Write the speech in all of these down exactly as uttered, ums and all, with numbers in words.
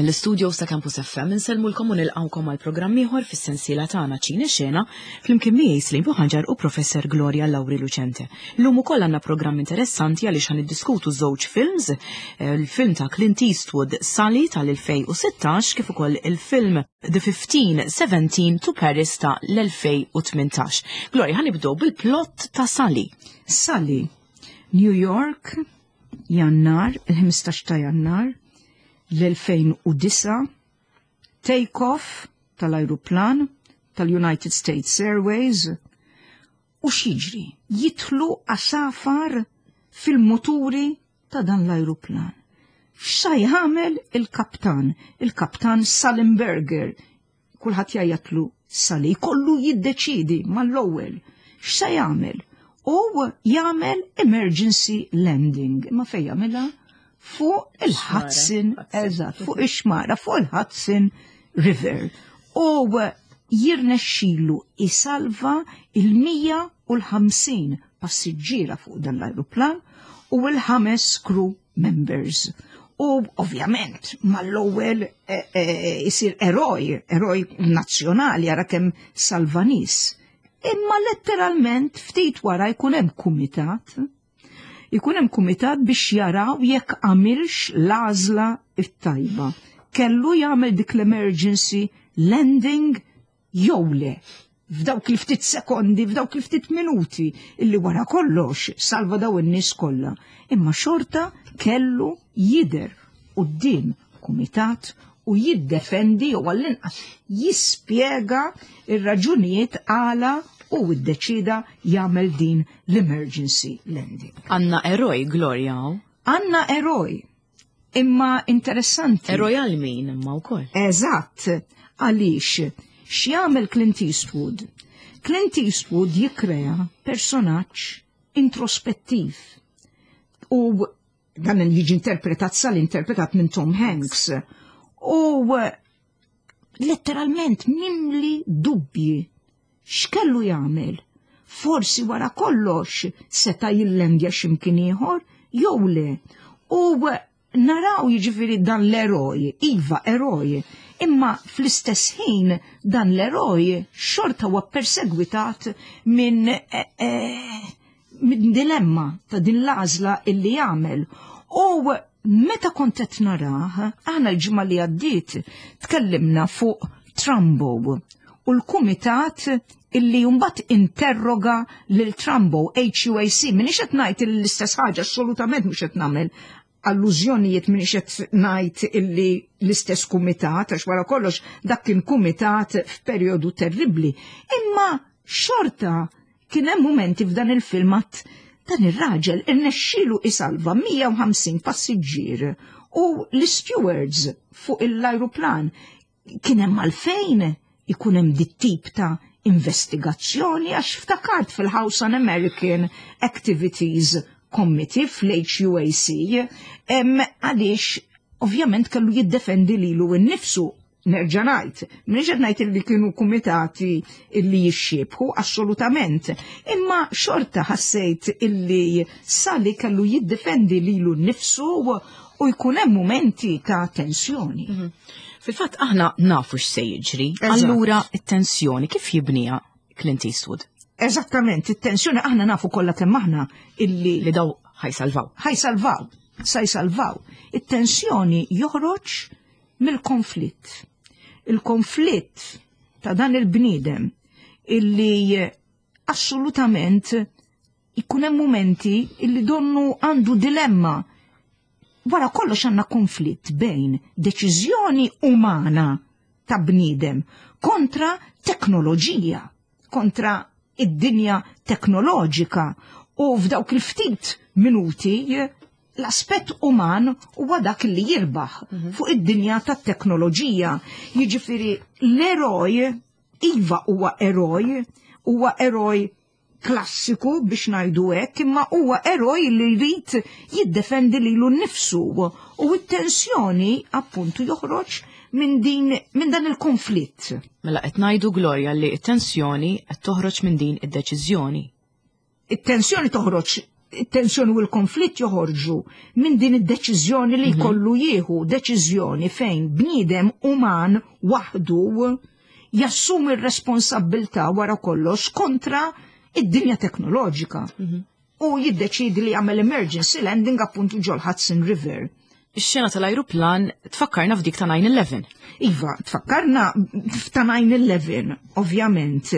Mill-istudios ta' Campus F M insellmulkom u nilqgħukom għal programm ieħor fis-sensiela tagħna Ċine Xena, flimkien miegħi Slim Buħanġar u Professor Gloria Lauri Lucente. Illum ukoll għandna programm interessanti għaliex ħa niddiskutu żewġ films, eh, il-film ta' Clint Eastwood Sully tal-elfejn u sittax kif ukoll il-film The fifteen seventeen to Paris ta' l-elfejn u tmintax. Gloria, ħa nibdew bil-plot ta' Sully. Sully, New York, Jannar, il-ħmistax ta' Jannar, l-elfejn u disgħa, take-off tal-ajruplan tal-United States Airways, u x'jiġri? Jidħlu għasafar fil-moturi ta' dan l-ajruplan. X'sa jagħmel il-kaptan? Il-kaptan Sullenberger, kulħadd jgħajjatlu Sully, kollu jiddeċidi mal-ewwel. X'sa jagħmel? U jagħmel emergency landing. Ma fejn jagħmilha? Fuq il-Hudson, eżatt, fuq ix-xmara, fuq il-Hudson River. U jirnexxilu isalva il-mija u ħamsin passiġġiera fuq dan l-ajruplan u l-ħames crew members. U ovvjament mal-ewwel eh, eh, isir eroj, eroj nazzjonali, ara kemm salva nies. Imma letteralment ftit wara jkun hemm kumitat ikun hemm kumitat biex jaraw jekk għamilx l-għażla it-tajba. Kellu jagħmel dik l-emergency landing jew le. F'dawk il-ftit sekondi, f'dawk il-ftit minuti, illi wara kollox salva daw in-nies kollha. Imma xorta kellu jidher quddiem kumitat u jiddefendi jew għall-inqas jispjega ir-raġunijiet għala u iddeċida jagħmel din l-emergency landing. Għandna eroj, Gloria. Għandna eroj, imma interessanti. Eroj għal min imma wkoll. Eżatt, għaliex x'jagħmel Clint Eastwood? Clint Eastwood jikrea personaġġ introspettiv. U dan jiġi interpretat sal interpretat minn Tom Hanks. U letteralment mimli dubbji. X'kellu jagħmel? Forsi wara kollox seta' jillendja x'imkien ieħor jew le. U naraw jiġifieri dan l-eroj, iva eroj, imma fl-istess ħin dan l-eroj xorta huwa persegwitat minn eh, eh, min dilemma ta' din l-għażla illi jagħmel. U meta kont qed narah, aħna l-ġimgħa li għaddiet tkellimna fuq Trumbo u l-kumitat illi mbagħad interroga lil Trumbo, H U A C, minix qed ngħid l-istess ħaġa, assolutament mhux qed nagħmel allużjonijiet, minix qed ngħid illi l-istess kumitat, għax wara kollox dak kien kumitat f'perjodu terribbli. Imma xorta kien hemm momenti f'dan il-filmat dan ir-raġel irnexxielu isalva mija u ħamsin passiġġier u l-stewards fuq l-ajruplan, kien hemm għalfejn ikun hemm dit-tip ta' investigazzjoni? Għax ftakart fil-House Un American Activities Committee, fl-H U A C, għaliex ovvjament kellu jiddefendi lilu nnifsu. Nerġa' ngħid, m'iniex qed ngħid li kienu kumitati illi jixxiebħu assolutament, imma xorta ħassejt illi Sully kellu jiddefendi lilu nnifsu u jkun hemm momenti ta' tensjoni. Mhm. Fil-fatt aħna nafu x'se jiġri, allura it-tensjoni kif jibniha Clint Eastwood? Eżattament, it-tensjoni aħna nafu kollha kemm aħna illi li daw ħa jsalvaw. Ħa jsalvaw, sa jsalvaw. It-tensjoni joħroġ mill-konflitt. Il-konflitt ta' dan il-bniedem illi assolutament ikun hemm momenti illi donnu għandu dilemma. Wara kollox għandna konflitt bejn deċiżjoni umana ta' bniedem kontra teknoloġija, kontra id-dinja teknoloġika, u f'dawk il-ftit minuti l-aspett uman huwa dak li jirbaħ mhm. fuq id-dinja tat-teknoloġija. Jiġifieri l-eroj, iva huwa eroj, huwa eroj klassiku biex ngħidu hekk, imma huwa eroj li jrid jiddefendi lilu nnifsu u t-tensjoni appuntu joħroġ minn din minn dan il-konflitt. Mela qed ngħidu, Gloria, li t-tensjoni qed toħroġ minn din id-deċiżjoni. It-tensjoni toħroġ It-tensjoni u l-konflitt joħorġu minn din id-deċiżjoni li jkollu jieħu, deċiżjoni fejn bniedem uman waħdu jassumi r-responsabbiltà wara kollox kontra id-dinja teknoloġika. U jiddeċidi li jagħmel emergency landing appuntu ġol Hudson River. Ix-xena tal-ajruplan tfakkarna f'dik ta' nine eleven. Iva, tfakkarna ta' nine eleven, ovvjament.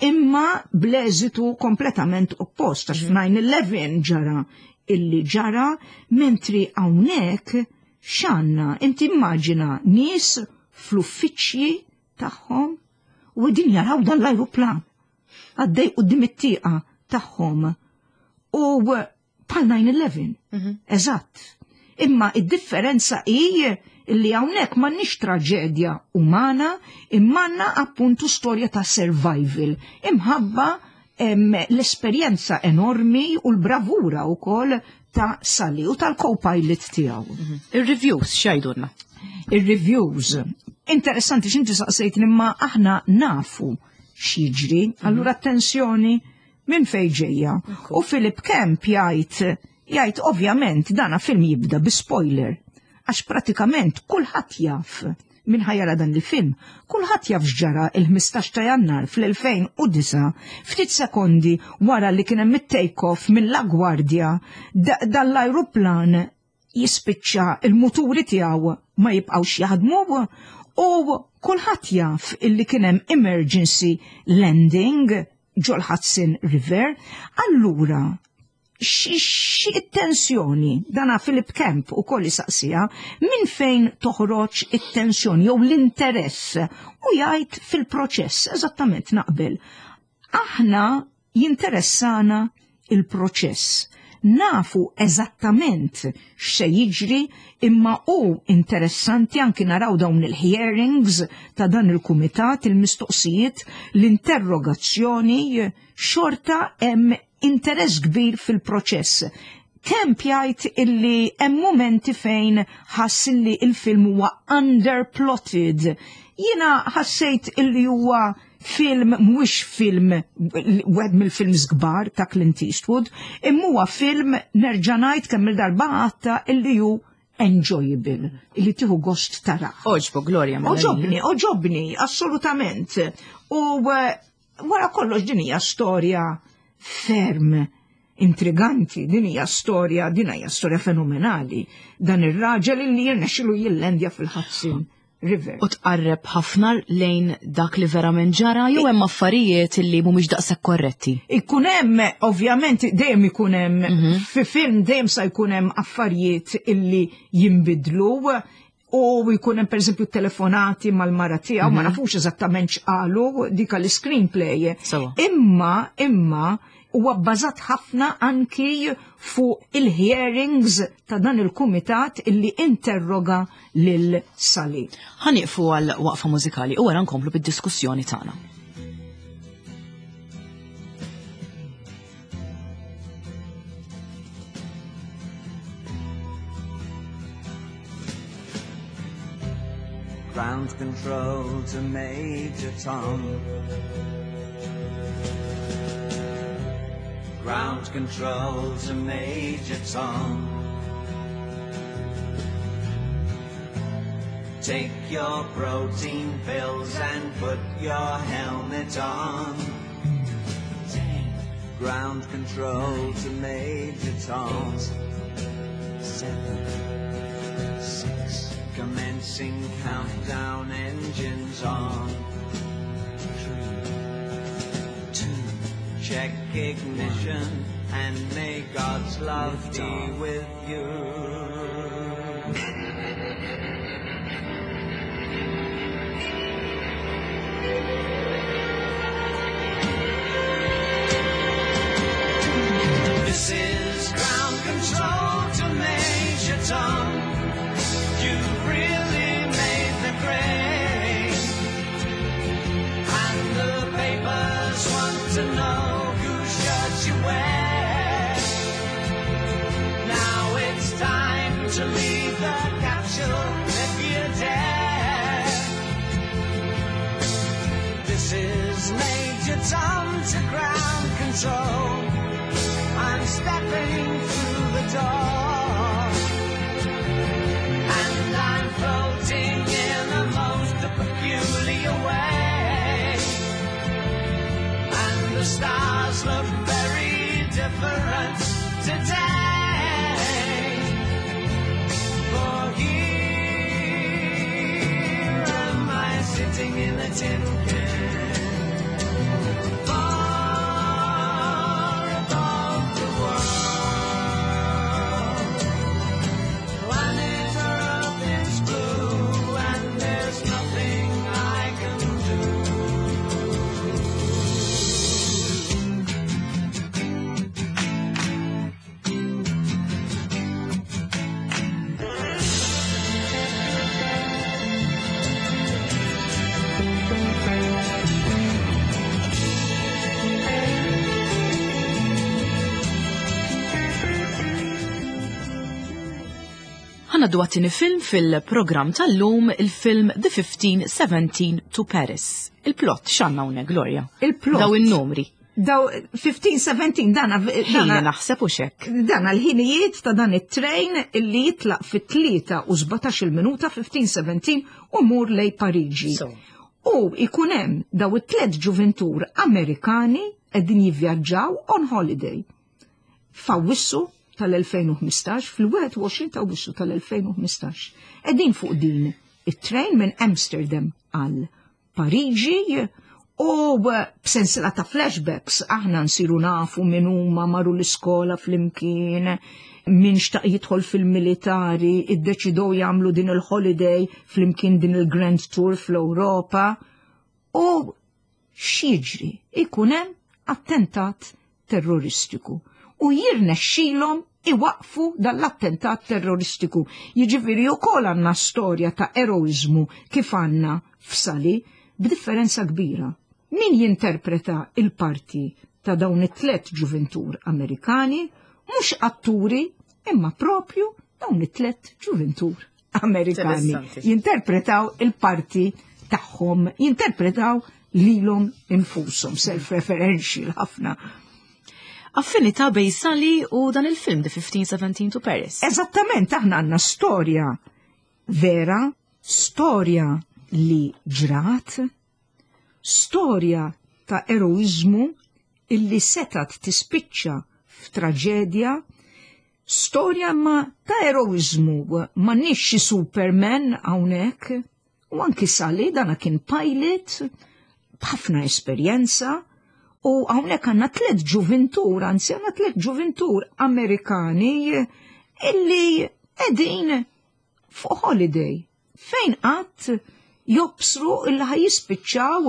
Imma bl-eżitu kompletament oppost, għax f'nine eleven ġara illi ġara, mentri hawnhekk x'għandna, inti immaġina nies fl-uffiċċji tagħhom u din jaraw dan l-ajruplan għaddej quddiem it-tieqa tagħhom u bħal nine eleven, eżatt. Imma id-differenza hi li hawnhekk m'għandniex traġedja umana, imma għandna appuntu storja ta' survival, imħabba em, l-esperjenza enormi u l-bravura wkoll ta' Sully u tal-co-pilot tiegħu. Ir-reviews x'jgħidulna? Ir-reviews. Interessanti x'inti saqsejt, imma aħna nafu x'jiġri, allura attenzjoni minn fejn ġejja. U Philip Kemp jgħid jgħid ovvjament dana film jibda bi spoiler, għax pratikament kulħadd jaf min ħa jara dan il-film, kulħadd jaf x'ġara il-ħmistax ta' Jannar fl-elfejn u disgħa, ftit sekondi wara li kien hemm it-take-off minn LaGuardia, dan l-ajruplan jispiċċa il-muturi tiegħu ma jibqgħux jaħdmu u kulħadd jaf illi kien hemm emergency landing ġol Hudson River. Allura xi tensjoni, dana Philip Kemp u kolli saqsija, minn fejn toħroġ it-tensjoni jew l-interess, u jgħid fil-proċess, eżattament naqbel. Aħna jinteressana il-proċess. Nafu eżattament x'se jiġri, imma u interessanti anki naraw dawn il-hearings ta' dan il-kumitat, il-mistoqsijiet, l-interrogazzjoni, xorta hemm interess kbir fil-proċess. Kemp jgħid illi hemm momenti fejn ħass illi il-film huwa underplotted. Jiena ħassejt illi huwa film, mhuwiex film wieħed mill-films kbar ta' Clint Eastwood, imma huwa film, nerġa' ngħid kemm il-darba għatta, illi hu enjoyable, illi tieħu gost tara. Għoġbok, Gloria? Mela. Għoġobni, għoġobni, assolutament. U eh, wara kollox din hija storja ferm intriganti, din hija storja, din hija storja fenomenali. Dan ir-raġel illi jirnexxilu jillendja fil-Hudson River. U tqarreb ħafna lejn dak li verament ġara jew hemm affarijiet li mhumiex daqshekk korretti? Ikun hemm, ovvjament, dejjem ikun hemm, fi film dejjem sa jkun hemm affarijiet illi jinbidlu u jkun hemm pereżempju telefonati mal-mara tiegħu, ma nafux eżattament x'qalu, dik l-screenplay. Sewa. Imma imma huwa bbażat ħafna anki fuq il-hearings ta' dan il-kumitat illi interroga lil Sully. Ħa nieqfu għal waqfa mużikali u wara nkomplu bid-diskussjoni tagħna. Ground control to Major Tom. Ground control to Major Tom. Take your protein pills and put your helmet on. Ground control to Major Tom. Seven, six, commencing countdown, engines on. Three, two, check ignition, and may God's love be with you. This is ground control to Major Tom. You've really made the grade. And the papers want to know whose shirt you wear. Now it's time to leave the capsule if you dare. This is Major Tom to ground control. I'm stepping through the door. And I'm floating in the most peculiar way. And the stars look very different today. For here am I sitting in a tin can, far above the world. Planet Earth is blue, and there's nothing I can do. Ħa ngħaddu għat-tieni film fil-programm tal-lum, il-film The fifteen seventeen to Paris. Il-plot x'għandna hawnhekk, Gloria? Il-plot. Daw in-numri. Daw fifteen seventeen dana Ħin dana naħseb u xek. Dan l-ħinijiet ta' dan it-train illi jitlaq fit-tlieta u sbatax-il minuta fifteen seventeen u mur lej Pariġi. So. U ikun hemm daw it-tliet ġuventur Amerikani qegħdin jivvjaġġaw on holiday. F'Awwissu tal-elfejn u ħmistax, fil-wieħed u għoxrin ta' Awwissu tal-elfejn u ħmistax. Qegħdin fuq din it-train minn Amsterdam għal Pariġi u b'sensiela ta' flashbacks aħna nsiru nafu min huma, marru l-iskola flimkien, min xtaq jidħol fil-militari, iddeċidew jagħmlu din il-holiday flimkien, din il-Grand Tour fl-Ewropa. U x'jiġri? Ikun hemm attentat terroristiku u jirnexxilhom iwaqfu dal-attentat terroristiku. Jiġifieri wkoll għandna storja ta' eroizmu kif għandna f'Sully, b'differenza kbira. Min jinterpreta il-parti ta' dawn it-tlet ġuventur Amerikani, mhux atturi, imma propju dawn it-tlet ġuventur Amerikani. Interessanti. Jinterpretaw il-parti tagħhom, jinterpretaw lilhom infushom, self-referential ħafna. Affinità bejn Sully u dan il-film The fifteen seventeen to Paris. Eżattament, aħna għandna storja vera, storja li ġrat, storja ta' eroizmu illi setat tispiċċa f'traġedja, storja ma ta' eroizmu, ma nix xi Superman hawnhekk, u anki Sully dana kien pilot b'ħafna esperjenza, u hawnhekk għandna tliet ġuventur, anzi għandna tliet ġuventur Amerikani illi qegħdin fuq holiday. Fejn qatt jobsru illi ħa jispiċċaw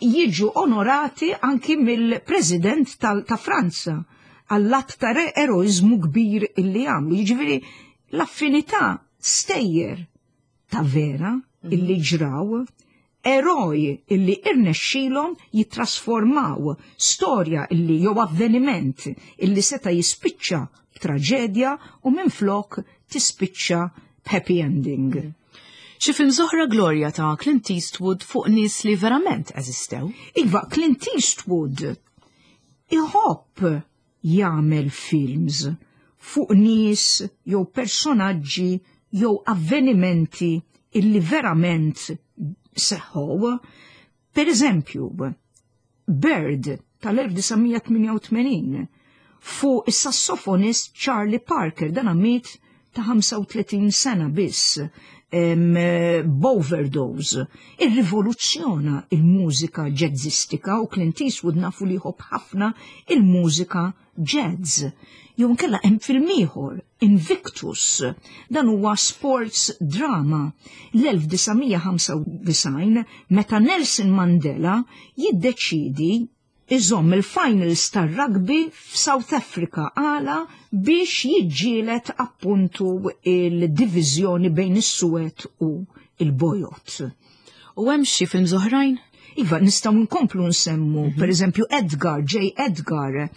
jiġu onorati anki mill-President ta' Franza għall-att ta' eroizmu kbir illi għamlu. Jiġifieri l-affinità stejjer ta' vera illi ġraw, eroj illi irnexxilhom jitrasformaw storja illi jew avveniment illi seta jispiċċa b'traġedja u minflok tispiċċa b'happy ending. Xi film oħra, Gloria, ta' Clint Eastwood fuq nies li verament eżistew? Iva, Clint Eastwood iħobb jagħmel films fuq nies jew personaġġi jew avvenimenti illi verament seħħu. Per eżempju, Bird tal-elf disa' mija tmienja u tmenin fuq is-sassofonist Charlie Parker, dan miet ta' ħamsa u tletin sena biss b'overdose. Irrivoluzzjona il-mużika jazzistika u Clint Eastwood nafu li jħobb ħafna il-mużika jazz. Jew nkella hemm film ieħor, Invictus, dan huwa sports drama l-elf disa' mija ħamsa u disgħin meta Nelson Mandela jiddeċidi iżomm il-finals tar-rugby f'South Africa għala biex jiġġielet appuntu il-diviżjoni bejn is-suwed u il-bojod. U hemm xi films oħrajn? Iva, nistgħu nkomplu nsemmu, per eżempju, Edgar, J. Edgar,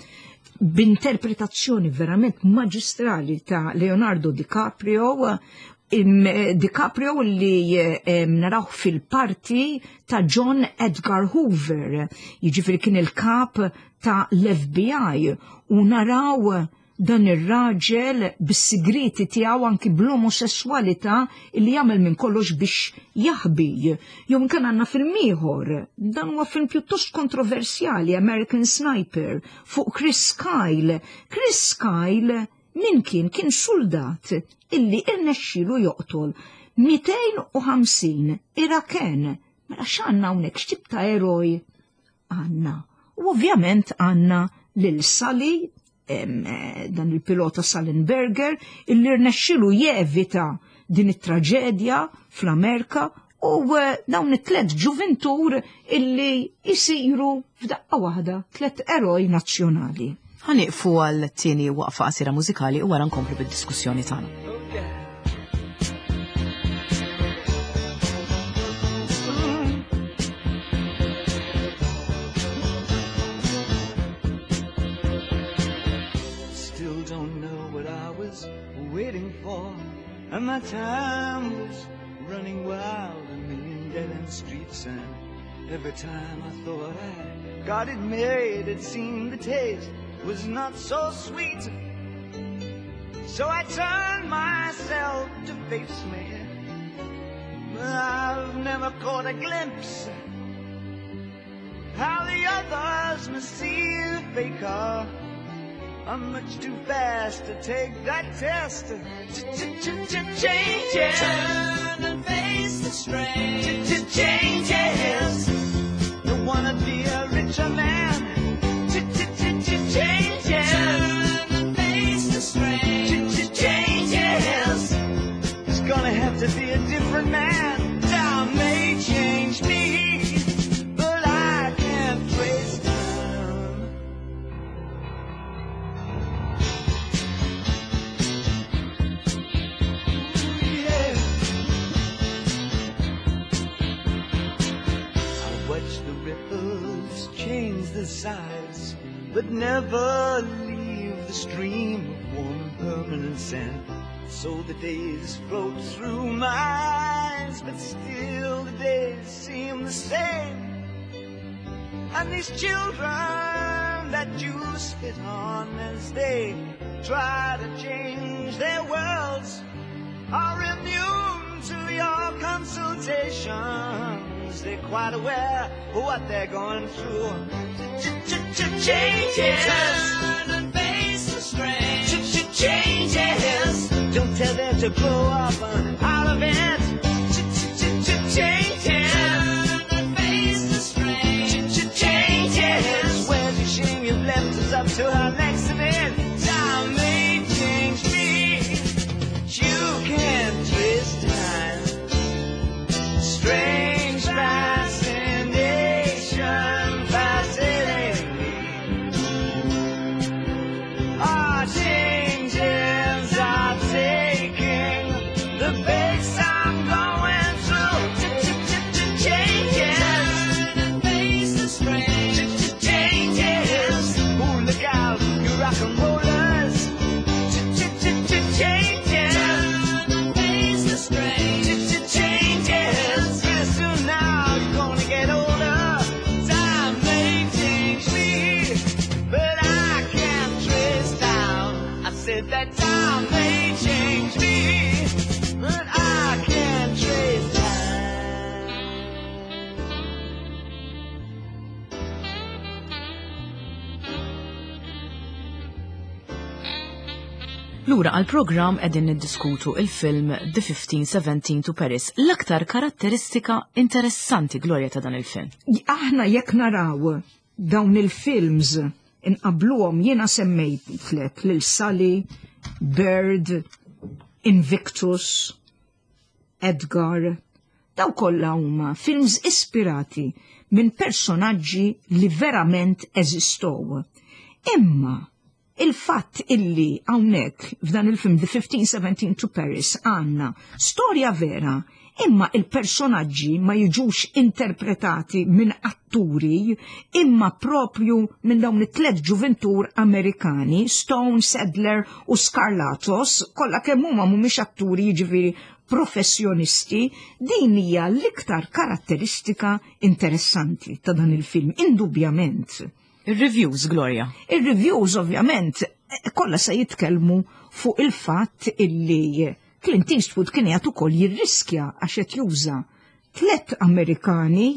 b'interpretazzjoni verament maġistrali ta' Leonardo DiCaprio. DiCaprio li narawh fil-parti ta' John Edgar Hoover, jiġifieri kien il-kap ta' l-F B I, u naraw dan ir-raġel bis-sigriti tiegħu, anki bl-omosessualità li jagħmel minn kollox biex jaħbi. Jew kien għandna film ieħor, dan huwa film pjuttost kontroversjali, American Sniper, fuq Chris Kyle. Chris Kyle min kien? Kien soldat illi irnexxielu joqtol mitejn u ħamsin Iraken. Mela x'għandna hawnhekk, x'tip ta' eroj għandna? U ovvjament għandna lil Sully, dan il-pilota Sullenberger, illi rnexxilu jevita din it-traġedja fl-Amerika, u eh, dawn it-tlet ġuvintur illi jisiru f'daqqa waħda tlet eroj nazzjonali. Ħa nieqfu għal tieni waqfa qasira mużikali u wara nkomplu bid-diskussjoni tagħna. Still don't know what I was waiting for. And my time was running wild, a million dead end streets. And every time I thought I got it made, it seemed the taste was not so sweet. So I turned myself to face me. But I've never caught a glimpse how the others must see the faker. I'm much too fast to take that test. Changes. Turn and face the strain. Changes. Don't wanna be a richer man. Changes. Turn and face the strain. Changes. It's gonna have to be a different man. Time may change me, but I can't trace time. Yeah. I watch the ripples change the size, but never leave the stream of one permanent scent. So the days float through my eyes, but still the days seem the same. And these children that you spit on as they try to change their worlds are immune to your consultations. They're quite aware of what they're going through. Changes. Turn and face the strain. Changes. Don't tell them to grow up out of it. Changes. Turn and face the strain. Changes. Where's your shame? You've left us up to our next event. Time may change me, but you can't trace time. Strange fascination fascinating me. Our changes are taking the pace I'm going through. Changes. Turn and face the strain. Changes. Ooh, look out, you rock and rollers. Changes. Turn and face the strain. Changes. Pretty soon now you're gonna get older. Time may change me, but I can't trace time. I said that time may change me, but I can't trace time. Lura għal-program, qegħdin niddiskutu il-film The fifteen seventeen to Paris. L-aktar karatteristika interessanti, Gloria, ta' dan il-film. Aħna jekk naraw dawn il-films inqabluhom, jiena semmejt tlet lil Sully, Bird, Invictus, Edgar, daw kollha huma films ispirati minn personaġġi li verament eżistow. Imma il-fatt illi hawnhekk f'dan il-film The fifteen seventeen to Paris għandna storja vera, imma il-personaġġi ma jiġux interpretati minn atturi, imma propju minn dawn it-tlet ġuventur Amerikani, Stone, Sadler u Skarlatos, kollha kemm huma mhumiex atturi, jiġifieri Professjonisti, din hija l-iktar karatteristika interessanti ta' dan il-film, indubjament. Il-reviews, Gloria. Il-reviews, ovvjament, kollha se jitkellmu fuq il-fatt illi Clint Eastwood kien qiegħed ukoll jirriskja għax qed juża tlet Amerikani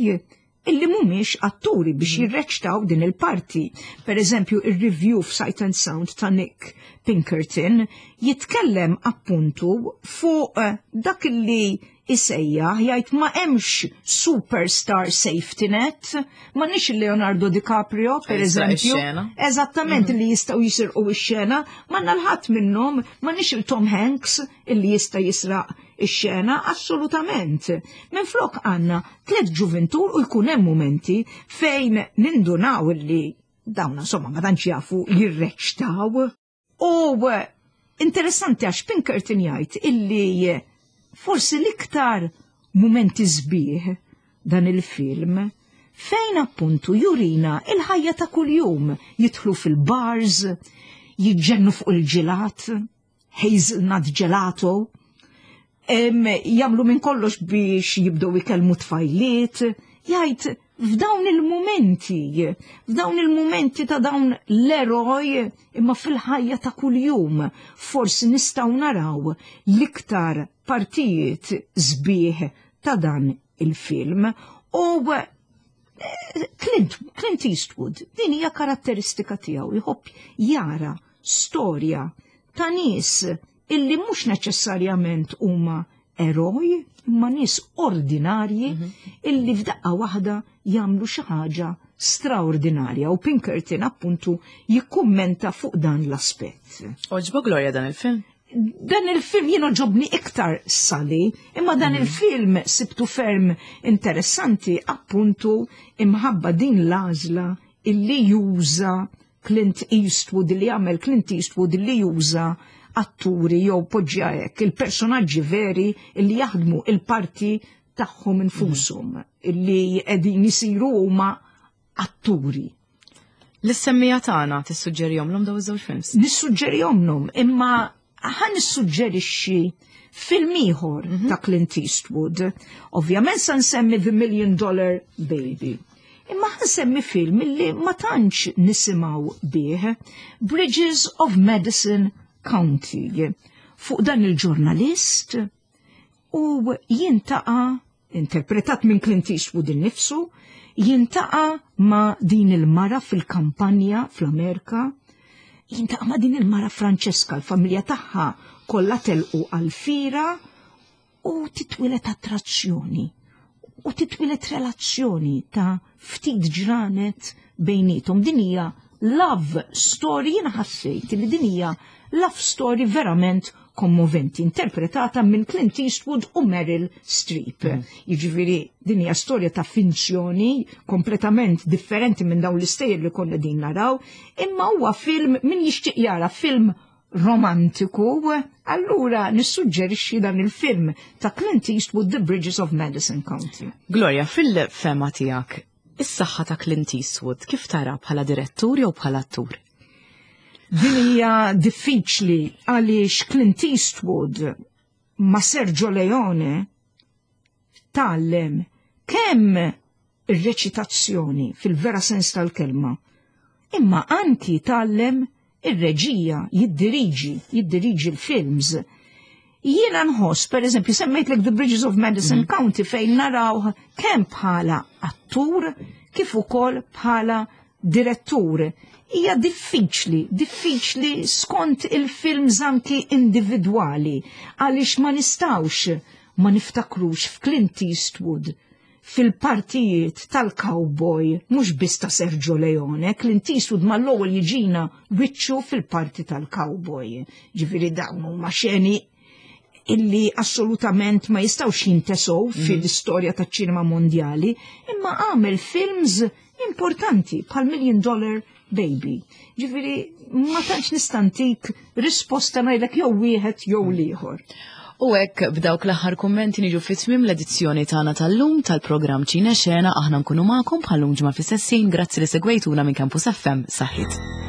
illi mhumiex atturi biex jirreċtaw din il-parti. Per eżempju, il-review f'Sight and Sound ta' Nick Pinkerton jitkellem appuntu fuq eh, dak illi isejjaħ, jgħid, ma hemmx superstar safety net, ma nix Leonardo DiCaprio, per Jisraq eżempju. ix-xena. Eżattament, li jistgħu jisirqu ix-xena, ma nalħat minnhom, ma nix il-Tom Hanks illi jista' jisraq ix-xena, assolutament. Minn flok għandna tliet ġuventur u jkun hemm momenti fejn nindunaw illi dawna insomma ma tantx jafu jirreċtaw. U eh, interessanti għax Pinkerton jgħid illi forsi l-iktar momenti sbieħ dan il-film fejn appuntu jurina il-ħajja ta' kuljum, jidħlu fil-bars, jiġġennu fuq il-ġelat, hazelnut gelato, em, jagħmlu minn kollox biex jibdew ikellmu tfajliet, jgħid f'dawn il-momenti, f'dawn il-momenti ta' dawn l-eroj imma fil-ħajja ta' kuljum, forsi nistgħu naraw l-iktar partijiet sbieħ ta' dan il-film u eh, Clint, Clint Eastwood, din hija karatteristika tiegħu, jħobb jara storja ta' nies illi mhux neċessarjament huma eroj, imma nies ordinarji illi f'daqqa waħda jagħmlu xi ħaġa straordinarja, u Pinkerton appuntu jikkummenta fuq dan l-aspett. Għoġbok, Gloria, dan il-film? Dan il-film jien għoġobni iktar Sully, imma dan il-film sibtu ferm interessanti appuntu imħabba din l-għażla illi juża Clint Eastwood, illi jagħmel Clint Eastwood, illi juża atturi jew poġġja hekk, il-personaġġi veri illi jaħdmu il-parti tagħhom infushom, illi qegħdin isiru huma atturi. Lis-semmiegħa tagħna tissuġġerihomlhom daw iż-żewġ films? Nissuġġerihomlhom, imma ħa nissuġġerixxi film ieħor ta' Clint Eastwood. Ovvjament sa nsemmi The Million Dollar Baby. Imma ħa nsemmi film illi ma tantx nisimgħu bih, Bridges of Madison County. Fuq dan il-ġurnalist u jiltaqa', interpretat minn Clint Eastwood innifsu, jiltaqa' ma' din il-mara fil-kampanja fl-Amerika, jiltaqa' ma' din il-mara Francesca, l-familja tagħha kollha telqu għal-fira u titwieled attrazzjoni u titwieled relazzjoni ta' ftit ġranet bejnietom. Din hija love story, jiena ħassejt li din hija love story verament kommoventi, interpretata minn Clint Eastwood u Meryl Streep. Jiġifieri din hija storja ta' finzjoni kompletament differenti minn dawn l-istejjer li konna din naraw, imma huwa film min jixtieq jara film romantiku, allura nissuġġerixxi dan il-film ta' Clint Eastwood, The Bridges of Madison County. Gloria, fil-fehma tiegħek, is-saħħa ta' Clint Eastwood kif tara, bħala direttur jew bħala attur? Din hija diffiċli għaliex Clint Eastwood ma' Sergio Leone tgħallem kemm ir-reċitazzjoni fil-vera sens tal-kelma, imma anki tgħallem ir-reġija, jiddiriġi, jiddiriġi l-films. Jiena nħoss, per eżempju, semmejtlek The Bridges of Madison County fejn naraw kemm bħala attur kif ukoll bħala direttur. Hija diffiċli, diffiċli skont il-films anki individwali, għaliex ma nistgħux ma niftakrux f'Clint Eastwood fil-partijiet tal-cowboy, mhux biss ta' Sergio Leone. Clint Eastwood mal-ewwel jiġina wiċċu fil-parti tal-cowboy. Ġifieri dawn huma xeni illi assolutament ma jistgħux jintesow fil-istorja taċ-ċinema mondjali, imma għamel films importanti bħal Million Dollar Baby. Ġifieri ma tantx nista' ntik risposta ngħidlek jew wieħed jew l-ieħor. U hekk b'dawk l-aħħar kummenti niġu fi tmiem l-edizzjoni tagħna tal-lum tal-programm Ċine Xena. Aħna nkunu magħkom bħal-lum ġimgħa fis-sessin. Grazzi li segwejtuna minn Campus F M. Saħħit.